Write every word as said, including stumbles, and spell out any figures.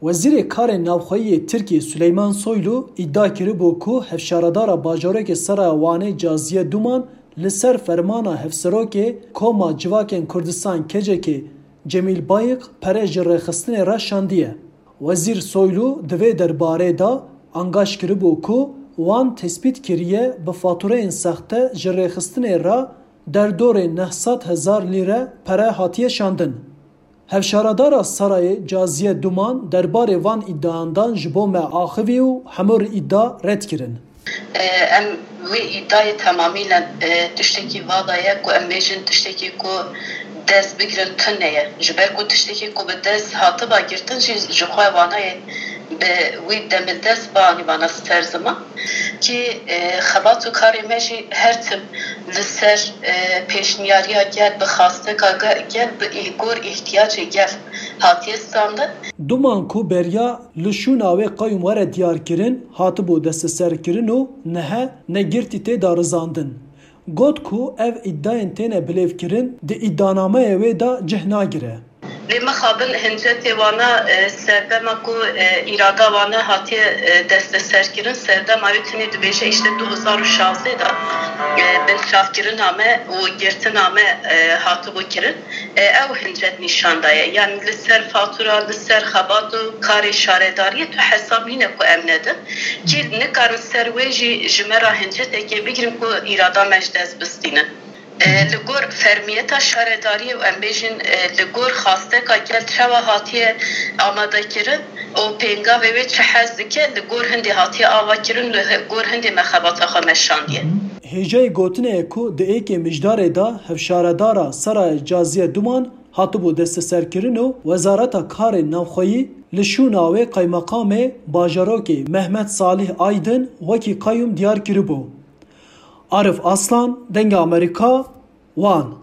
Wezîrê Karê Navxweyî yê Tirkiyê Suleyman Soylu îdia kiribû ku hevşaredara bajarokê Seraya Wanê Caziye Duman li ser fermana Hevserokê Koma Civakên Kurdistan, K C K, Cemîl Bayik pere ji rêxistinê re şandiye. Wezîr Soylu di vê derbarê de angaş kiribû ku wan tespît kiriye bi fatûreyên sexte ji rêxistinê re derdorê neh sed hezar lîre pere hatiye şandin. Hevşaredara Serayê Caziye Duman derbarê van îdiayan dan ji bo me axivî û hemû îdia red kirin. E, em wê îdiayê temamî ne, e, tiştekî vala ye ku em bêjin tiştekî ku dest bigirin tune ye. Ji ber ku tiştekî ku bi dest hatiba girtin jî ji xwe wana ye bi wî demildest bianî vana ser ziman. Kî, e, xebat û karê me jî her tim li ser, e, pêşniyariya gel, bi xasteka ge-, gel, bi î-, gor îhtiyacê gel hatiye standin. Duman ku beriya li şûna wê qeyûm were diyarkirin, hatibû desteserkirin û nihe negirtî tê de rizandin. Got ku ev îdiayên têne bilêvkirin di îdianameyê wê de cih nagire. Lê mixabin hincetê wana, e, serdema ku, e, îrada wana hatiye, e, desteserkirin, serdema wê tenê dibêje îşte du hezar û şazdeh de, e, binçavkirina me û girtina me, e, hatibû kirin. E, ew hincet nîşan daye. Yanî li ser fatura, li ser xebat û karê şaredariyê tu hesab nîne ku em nedin. Kî nikarin ser wê jî ji me re hincetekê bigirin ku îrada me ji dest bistînin. E, li gor fermiyeta şaredariyê û em bêjin, e, li gor xasteka gel çawa hatiye amadekirin û pêngavê wê çi hez dike, li gor hindê hatiye avakirin, li hi-, gor hindê me xebata xwe meşandiye. Hêjayî gotinê ye ku di êkê mijdarê de hevşaredara Seraya Caziye Duman hatibû desteserkirin û Wezareta Karê Navxweyî li şûna wê qeymeqamê bajarokê Mehmet Salih Aydin wekî qeyûm diyar kiribû. Arif Aslan, Dengê Amerîka, Wan.